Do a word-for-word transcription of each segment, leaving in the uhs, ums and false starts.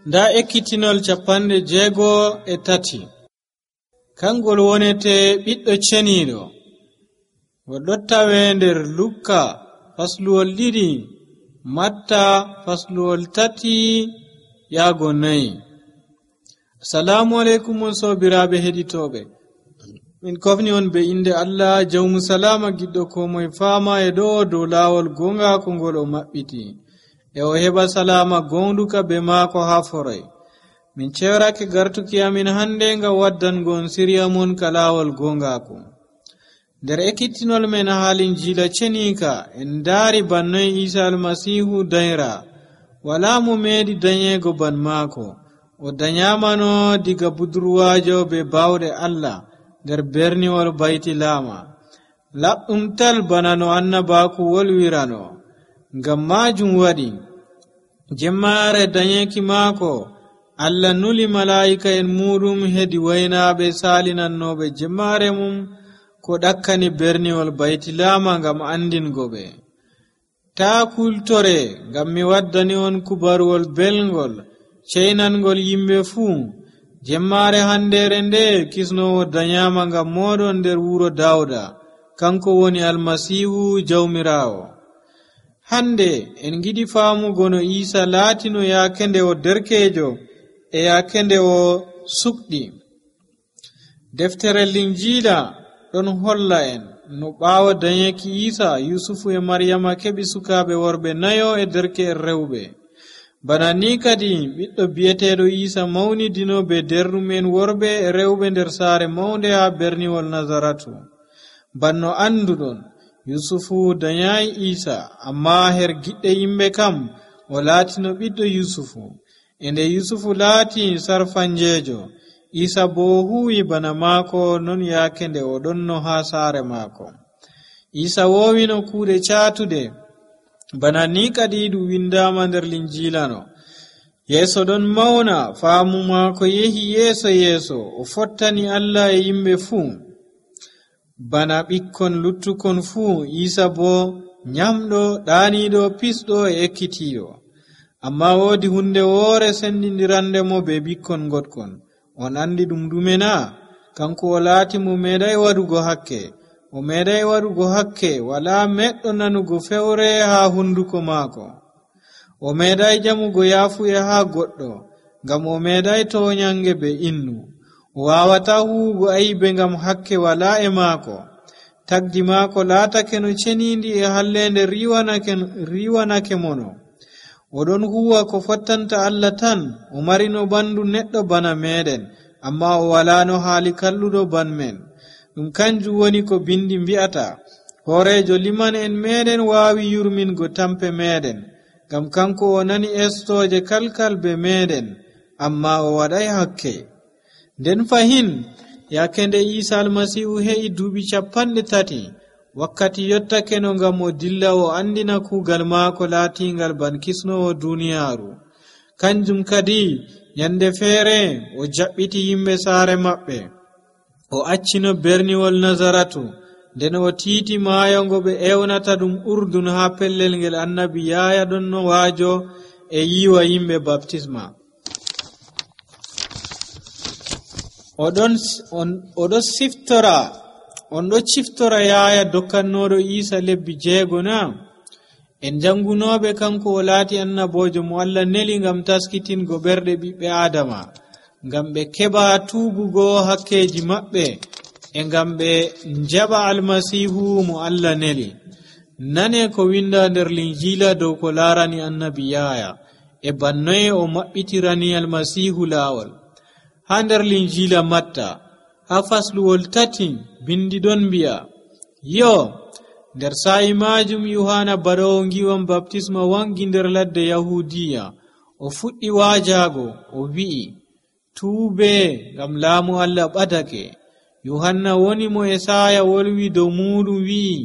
nda ekkitinol capanɗe jeego e tati kangol wonete ɓiɗɗo ceniiɗo. Ngol ɗon tawe nder Lukka fasluwol ɗiɗi, Matta fasluwol tati yaago nayi. Assalamu alaikum on sobiraaɓe heɗitooɓe. Min kofni on be inde Allah jawmu salama giɗɗo ko moye faama e ɗo dow laawol gongaako ngol o maɓɓiti, e o heɓa salama gonduka be maako haa foray. Min cewrake gartuki amin hande ngam waddangon siriya mon ka laawol gongaako. Nder ekkitinol men haalin jiila cenika en daari bannoy Isa almasihu dayra, wala mo meedi danyego ban maako. O danyamano diga budurwajo be bawɗe Allah nder berniwol baytilama, laɓɗum tal bana no annabaku wolwirano. Ngam majum waɗi jemmare danyeki maako Allah nuli malaa'ika en muɗum hedi waynaɓe salinannoɓe jemmare mum ko ɗakkani berniwol baytilama ngam andingoɓe. Taa kultore ngam mi waddani on kubaruwol belngol ceynangol yimɓe fuu. Jemmare handere nde kisnowo danyama ngam moɗon nder wuro Dawda, kanko woni almasihu jawmirawo. Hande en giɗi faamugo no Isa laatino yaake nde o derkejo e yaake nde o sukɗi. Deftere Linjiila ɗon holla en no ɓaawo danyeki Isa, Yusufu e Maryama keɓi sukaaɓe worɓe nayo e derke'en rewɓe. Bana ni kadi ɓiɗɗo bi'eteeɗo Isa mawnidino be dernumen worɓe e rewɓe nder saare mawnde haa berniwol Nazaratu. Banno anduɗon, Yusufu danyayi Isa, amma her giɗɗe yimɓe kam o laatino ɓiɗɗo Yusufu. E nde Yusufu laati sarfanjeejo, Isa bo huwi bana maako non yaake nde o ɗonno haa saare maako. Isa woowino kuuɗe caatude, bana ni kadi ɗum windama nder Linjiilano. Yeeso ɗon mawna, faamu maako yehi yeeso yeeso, o fottani Allah e yimɓe fuu. Bana ɓikkon luttukon fuu, Isa bo nyamɗo, ɗaaniiɗo, pisɗo e ekkitiiɗo. Amma woodi hunde woore sendindirandemo be ɓikkon goɗkon. On andi ɗum ɗume na? Kanko o laati mo meeɗay waɗugo hakke. O meeɗay waɗugo hakke, wala meɗɗo nanugo fewre haa hunduko maako. O meeɗay jamugo yaafuye haa goɗɗo, ngam o meeɗay toonyange be innu. O waawata huwugo aybe ngam hakke wala e maako. Tagdi maako laatake no ceniindi e hallende riwanake, riwanake mono. Oɗon huwa ko fottanta Allah tan. O marino ɓandu neɗɗo bana meɗen, amma o walano haali kalluɗo ban men. Ɗum kanjum woni ko bindi mbi'ata, hoorejo liman en meɗen waawi yurmingo tampe meɗen, ngam kanko o nani estoje kalkal be meɗen, amma o waɗay hakke. Nden fahin yaake nde Isa almasihu he'i duuɓi capanɗe tati, wakkati yottake no ngam o dilla o andina kuugal maako laatingal ban kisnowo duniyaaru. Kanjum kadi nyande feere o jaɓɓiti yimɓe saare maɓɓe, o accino berniwol Nazaratu, nden o tiiti maayo ngo ɓe ewnata ɗum Urdun haa pellel ngel annabi Yahaya ɗon no waajo e yiwa yimɓe baptisma. Oɗon oɗo siftora on ɗo ciftora Yahaya dokkannoɗo Isa lebbi jeego na? En jangunoɓe kanko o laati annabojo mo Allah neli ngam taskitingo ɓerɗe ɓiɓɓe Adama, ngam ɓe keɓa tuubugo hakkeji maɓɓe e ngam ɓe njaɓa almasihu mo Allah neli. Nane ko winda nder Linjiila dow ko laarani annabi Yahaya e bannoye o maɓɓitirani almasihu laawol. Haa nder Linjiila Matta haa fasluwol tati bindi ɗon mbi'a, yo nder sa'i majum Yohana baɗowo ngiwam baptisma wangi nder ladde Yahudiya. O fuɗɗi waajago, o wi'i, tuube ngam laamu Allah ɓadake. Yohanna woni mo Esaya wolwi dow muɗum wi'i,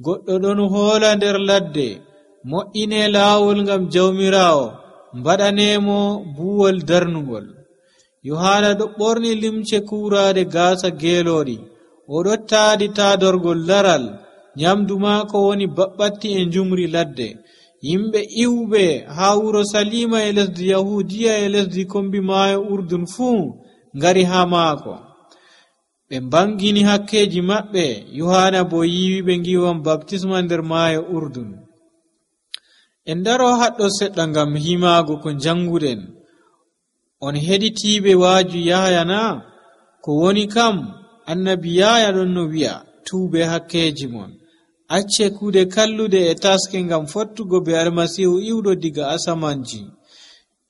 goɗɗo ɗon hoola nder ladde, mo'ine laawol ngam jawmirawo, mbaɗanemo buwol darnugol. Yohana ɗo ɓorni limce kuuraade gaasa geelooɗi, o ɗo taadi taadorgol laral, nyamdu maako woni baɓɓatti e njumri ladde. yimɓe iwɓe haa wuro Salima e lesdi Yahudiya e lesdi kombi maayo Urdun fuu ngari haa maako. ɓe mbangini hakkeji maɓɓe. Yohana bo yiwi ɓe ngiwam baptisma nder maayo Urdun. En daro haɗɗo seɗɗa ngam himaago ko janguɗen. On heɗitiiɓe waaju Yahaya na? Ko woni kam annabi Yahaya ɗon no wi'a, tuube hakkeji mon, acce kuuɗe kalluɗe e taske ngam fottugo be Almasihu iwɗo diga asamanji,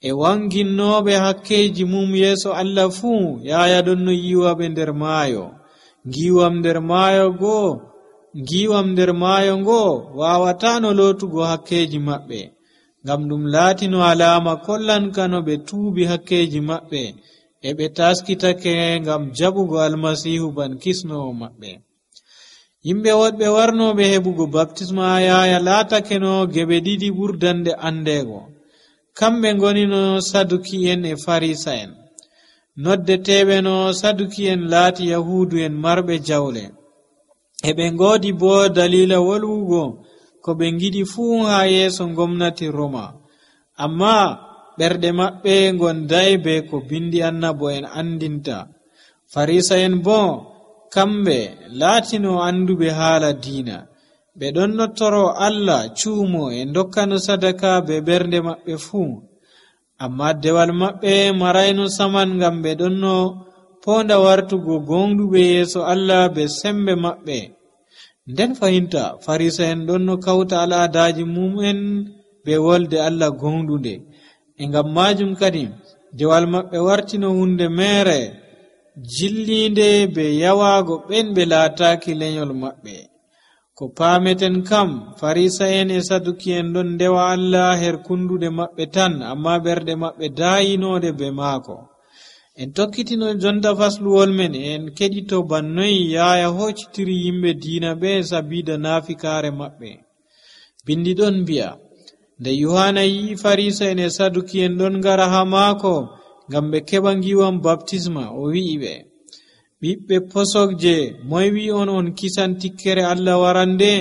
e wanginnoɓe hakkeji mum yeeso Allah fuu. Yahaya ɗon no yiwaɓe nder maayo. Ngiwam nder maayo goo ngiwam nder maayo ngo wawatano lootugo hakkeji maɓɓe, ngam ɗum laatino alama kollankano ɓe tuubi hakkeji maɓɓe e ɓe taskitake ngam jaɓugo Almasihu ban kisnowo maɓɓe. Yimɓe woɗɓe warnoɓe heɓugo baptisma Yahaya laatakeno geɓe ɗiɗi ɓurdande andego. Kamɓe ngonino Saduki'en e Farisa'en. Noddeteɓe no Saduki'en laati Yahudu'en marɓe jawle. E ɓe ngoodi bo dalila wolwugo ko ɓe ngiɗi fuu haa yeeso gomnati Roma. Amma ɓerɗe maɓɓe gondai be ko bindi annabo'en andinta. Farisa'en bo kamɓe laatino anduɓe haala diina. ɓe ɗon nottoro Allah cuumo e dokkano sadaka be ɓernde maɓɓe fuu. Amma dewal maɓɓe marayno saman ngam ɓe ɗon no ponda wartugo gonduɓe yeeso Allah be sembe maɓɓe. Nden fahinta Farisa'en ɗon no kawta al'adaji mum'en be wolde Allah gondunde. E ngam majum kadi dewal maɓɓe wartino hunde mere jillinde be yawago ɓen ɓe laataki lenyol maɓɓe. Ko paameten kam Farisa'en e Saduki'en ɗon ndewa Allah her kundude maɓɓe tan, amma ɓerɗe maɓɓe daayinode be maako. En tokkitino jonta fasluwol men en keɗito bannoyi Yahaya hoccitiri yimɓe diina ɓe sabida naafikaare maɓɓe. Bindi ɗon mbi'a, nde Yohana yi Farisa'en e Saduki'en ɗon ngara ha maako ngam ɓe keɓa ngiwam baptisma, o wi'i ɓe, ɓiɓɓe posokje, moy wi on on kisan tikkere Allah warande?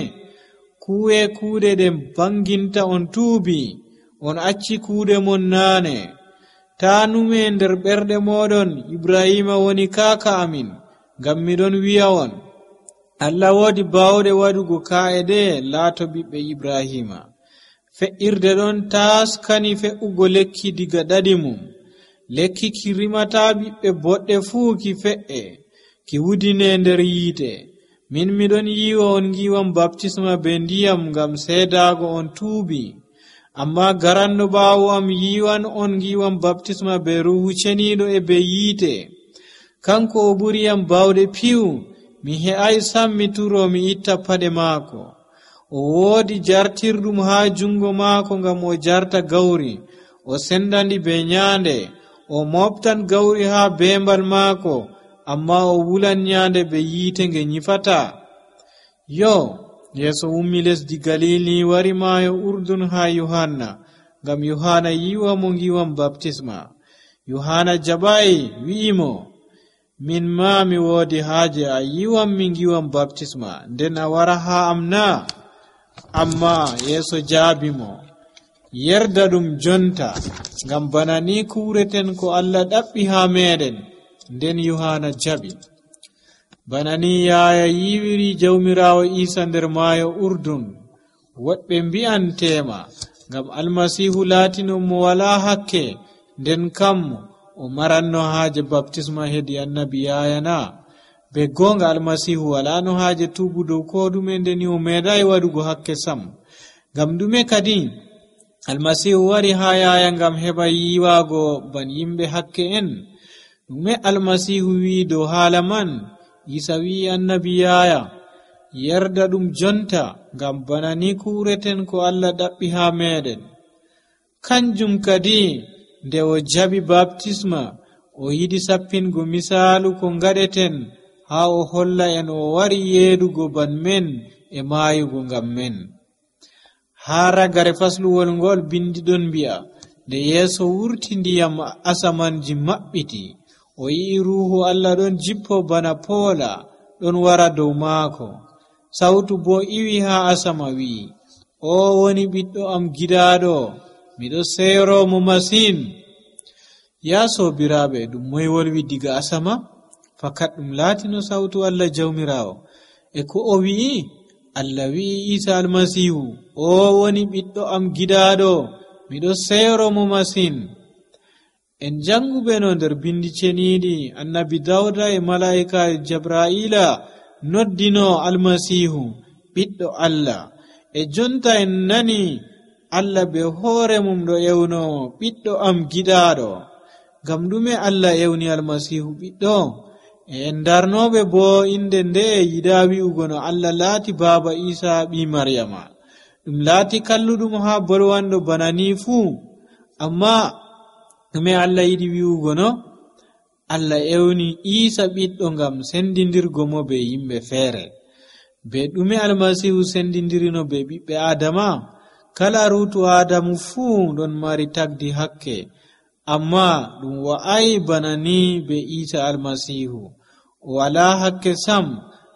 Kuuye kuuɗe ɗe banginta on tuubi, on acci kuuɗe mon naane. Ta nume nder ɓerɗe moɗon Ibrahima woni kaaka amin, ngam miɗon wi'a on, Allah woodi bawɗe waɗugo kaa'e ɗe laato ɓiɓɓe Ibrahima. Fe'irde ɗon taaskani fe'ugo lekki diga ɗaɗi mum. Lekki ki rimata ɓiɓɓe boɗɗe fuu ki fe'e, ki wudine nder yiite. Min miɗon yiwa on ngiwam baptisma be ndiyam ngam seedaago on tuubi. Amma garanno ɓaawo am yiwan on ngiwam baptisma be Ruhu Ceniiɗo e be yiite. Kanko o ɓuriyam bawɗe piwu, mi he'ai sam mi turo mi itta paɗe maako. O woodi jartirɗum haa jungo maako ngam o jarta gawri, o sendandi be nyaande, o moftan gawri haa beembal maako, amma o wulan nyaande be yiite nge nyifata. Yo, Yeeso ummi lesdi Galili wari maayo Urdun haa Yohanna, ngam Yohana yiwa mo ngiwam baptisma. Yohana jaɓai wi'imo, min ma mi woodi haaje a yiwam mi ngiwam baptisma, nden a wara haa am na? Amma Yeeso jaabimo, yerda ɗum jonta, ngam bana ni kuureten ko Allah ɗaɓɓi haa meɗen. Nden Yohana jaɓi. Bana ni Yahaya yiwiri Jawmirawo Isa nder maayo Urdun. Woɗɓe mbi'an tema, ngam Almasihu laatino mo wala hakke, nden kam o maranno haaje baptisma hedi annabi Yahaya na? Be gonga Almasihu walano haaje tuubu dow ko ɗume, ndeni o meeɗai waɗugo hakke sam. Ngam ɗume kadi Almasihu wari haa Yahaya ngam heɓa yiwago ban yimɓe hakke en? Ɗume Almasihu wi dow haala man? Isa wi annabi Yahaya, yerda ɗum jonta, ngam bana ni kuureten ko Allah ɗaɓɓi haa meɗen. Kanjum kadi nde o jaɓi baptisma, o yiɗi sappingo misaalu ko ngaɗeten, haa o holla en o wari yeedugo ban men e maayugo ngam men. Haa ragare fasluwol ngol bindi ɗon mbi'a, nde Yeeso wurti ndiyam asamanji maɓɓiti, o yi'i Ruuhu Allah ɗon jippo bana poola ɗon wara dow maako. Sawtu bo iwi haa asama wi'i, o woni ɓiɗɗo am giɗaaɗo, miɗo seyoromo masin. Ya sobiraaɓe, ɗum moy wolwi diga asama? Fakat ɗum laatino sautu Allah jawmirawo. E ko o wi'i? Allah wi'i Isa almasihu, o woni ɓiɗɗo am giɗaaɗo, miɗo seyoromo masin. En janguɓe no nder bindi ceniiɗi, annabi Dawda e mala'ika Jabra'ila noddino almasihu ɓiɗɗo Allah. E jonta en nani Allah be hoore mum ɗo ewno ɓiɗɗo am giɗaaɗo. Ngam ɗume Allah ewni almasihu ɓiɗɗo? E en darnoɓe bo inde nde yiɗa wi'ugo no Allah laati baaba Isa ɓi Maryama. Ɗum laati kalluɗum ha bolwanɗo bana ni fuu. Amma ɗume Allah yiɗi wi'ugo no? Allah ewni Isa ɓiɗɗo ngam sendindirgo mo be yimɓe feere. Be ɗume almasihu sendindirino be ɓiɓɓe Adama? Kala ruutu Adamu fuu ɗon mari tagdi hakke, amma ɗum wa'ai bana ni be Isa almasihu. O wala hakke sam,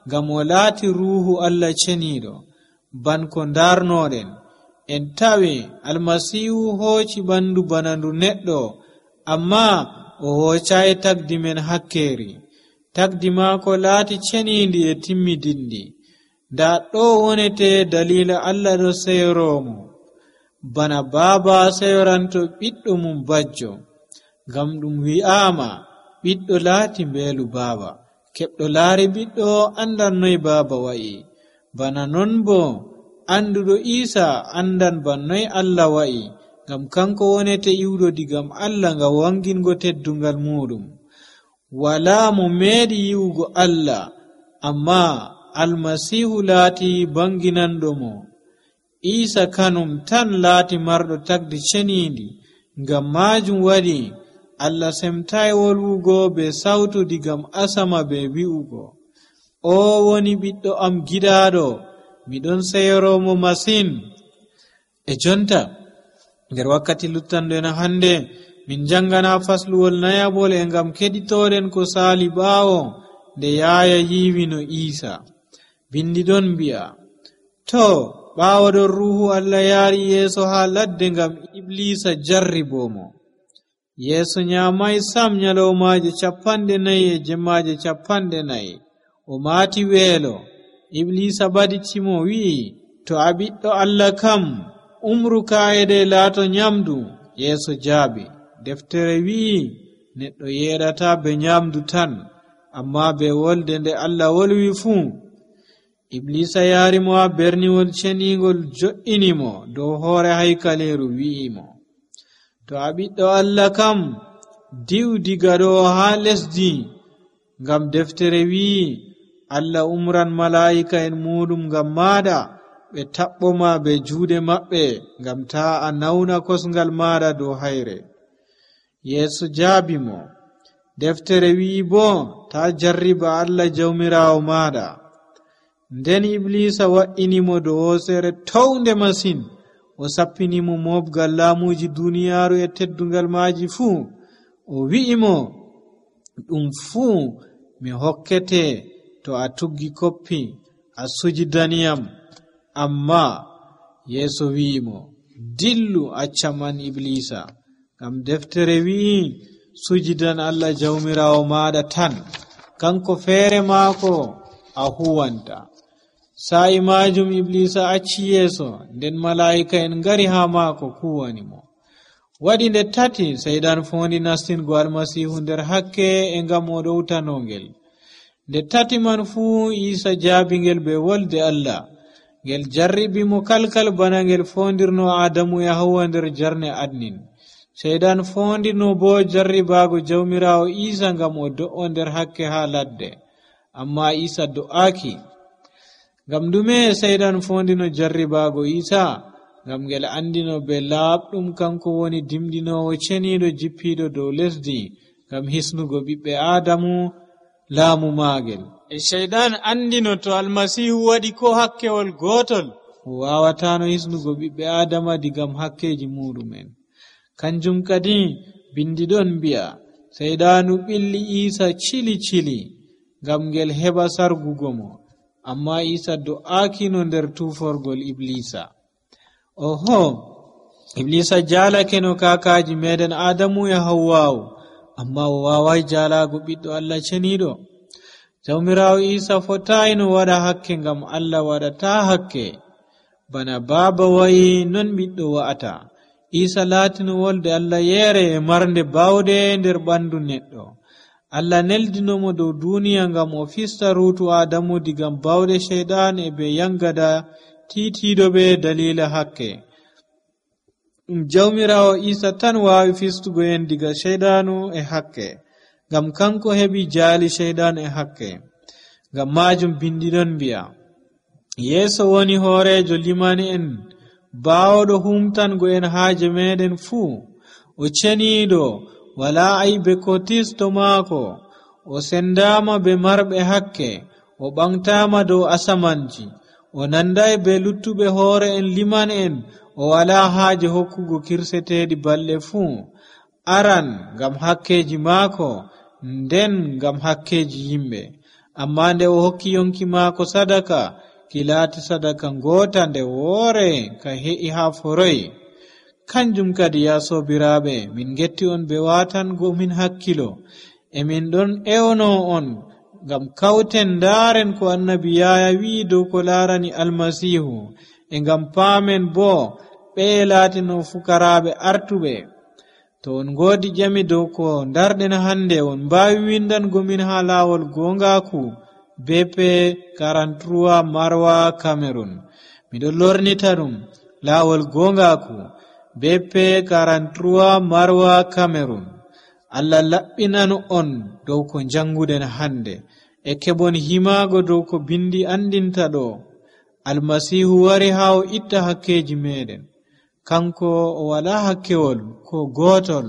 ngam o laati ruuhu Allah ceniiɗo. Banko ndarnoɗen, en tawi almasihu hooci ɓandu bana ndu neɗɗo, amma o hoocai tagdi men hakkeeri. Tagdi maako laati ceniindi e timmidindi. Nda ɗo wonete dalila Allah ɗo seyoromo, bana baaba seyoranto ɓiɗɗo mum bajjo. Ngam ɗum wi'ama ɓiɗɗo laati mbeelu baaba. Keɓɗo laari ɓiɗɗo andan noy baaba wa'i. Bana non bo anduɗo Isa andan bannoy Allah wa'i, ngam kanko wonete iwɗo digam Allah ngam wangingo teddungal muɗum. Wala mo meeɗi yi'ugo Allah, amma almasihu laati banginanɗo mo. Isa kanum tan laati marɗo tagdi ceniindi. Ngam majum waɗi Allah semtai wolwugo be sautu digam asama be wi'ugo, o woni ɓiɗɗo am giɗaaɗo, miɗon seyoromo masin. E jonta nder wakkati luttanɗo hande, min jangana fasluwol nayabol e ngam keɗitoɗen ko saali ɓaawo nde yaaya yiwino Isa. Bindi ɗon mbi'a, to ɓaawo ɗon ruuhu Allah yaari yeeso ha ladde ngam Iblisa jarribomo. Yeeso nyamai sam nyalawmaje capanɗe nayi e jemmaje capanɗe nayi. O maati weelo. Iblisa baditimo wi'i, to a ɓiɗɗo Allah kam, umru kaayede laato nyamdu. Yeeso jaabi, deftere wi'i neɗɗo yeɗata be nyamdu tan, amma be wolde nde Allah wolwi fuu. Iblisa yaarimo ha berniwol cenigol, jo'inimo dow hoore haykaleeru, wi'imo, to a ɓiɗɗo Allah kam, di'u diga ɗo ha lesdi. Ngam deftere wi'i Allah umran mala'ika en muɗum ngam maɗa, ɓe taɓɓoma be juuɗe maɓɓe, ngam ta a nauna kosngal maɗa dow hayre. Yeeso jaabimo, deftere wi'i bo ta jarriba Allah jawmirawo maɗa. Nden Iblisa wa'inimo dow hoosere townde masin. O sappinimo mobgal laamuji duniyaaru e teddungal maaji fuu. O wi'imo, ɗum fuu mi hokkete to a tuggi koppi a sujidaniyam. Amma Yeeso wi'imo, dillu accaman Iblisa, ngam deftere wi'i sujidan Allah jawmirawo maɗa tan, kanko feere maako a huwanta. Sa'i majum Iblisa acci Yeeso, nden mala'ika en ngari ha maako kuwanimo. Waɗi nde tati seydan fondi nastingo almasihu nder hakke e ngam o ɗowtanongel. Nde tati man fuu Isa jaabingel be wolde Allah. Ngel jarribi mo kalkal bana ngel fondirno Adamu e Hawwa nder jarne adnin. Seydan fondino bo jarribago jawmirawo Isa ngam o do'o nder hakke ha ladde. Amma Isa do'aki. Ngam dume seydan fondino jarribago Isa? Ngam ngel andino be laaɓɗum kanko woni dimdinowo ceniiɗo jippiɗo dow lesdi, ngam hisnugo ɓiɓɓe Adamu laamu maagel. E shaydan andino to almasihu waɗi ko hakkewol gotol, o wawatano hisnugo ɓiɓɓe Adama digam hakkeji muɗumen. Kanjum kadi bindi ɗon mbi'a, saydanu ɓilli Isa cili cili ngam ngel heɓa sargugo mo, amma Isa do'akino nder tuforgol Iblisa. oho iblisa jalake no kakaji meɗen adamu e hawwa'u amma o wawai jalago ɓiɗɗo Allah ceniɗo. Jawmirawo Isa fotai no waɗa hakke ngam Allah waɗata hakke bana baba wayi non ɓiɗɗo wa'ata. Isa latino wolde Allah yere e marnde bawde nder ɓandu neɗɗo. Allah neldinomo dow duniya ngam o fista rutu Adamu diga bawde shaydan e be yangada titiɗo be dalila hakke. Jawmirawo Isa tan wawi fistugo en diga shaydanu e hakke ngam kanko heɓi jaali shaydan e hakke. Ngam majum bindiɗon mbi'a Yeso woni hoorejo limani en bawɗo humtango en haaje meɗen fuu. O ceniɗo wala aibe ko tisto maako. O sendama be marɓe hakke. O ɓamtama dow asamanji. O nandai be luttuɓe hoore en liman en. O wala haaje hokkugo kirseteɗi balɗe fuu. Aran ngam hakkeji maako nden ngam hakkeji yimɓe. Amma nde o hokki yonki maako sadaka ki laati sadaka ngota nde woore ka he'i ha foroy. Kanjum kadi ya sobiraɓe min getti on be watango min hakkilo e min ɗon ewno on ngam kauten ndaren ko annabi Yaya wi dow ko larani almasihu e ngam paamen bo ɓe laatino fukaraɓe artuɓe. To on godi jami dow ko darɗen hande on mbawi windango min ha lawol gongaku B P quarante-trois Marwa Cameroon. Miɗo lornita ɗum lawol gongaku B P quarante-trois Marwa Cameroon. Allah laɓɓinan on dow ko janguden hande e keɓon himago dow ko bindi andinta ɗo. Almasihu wari ha o itta hakkeji meɗen. Kanko o wala hakkewol ko gotol.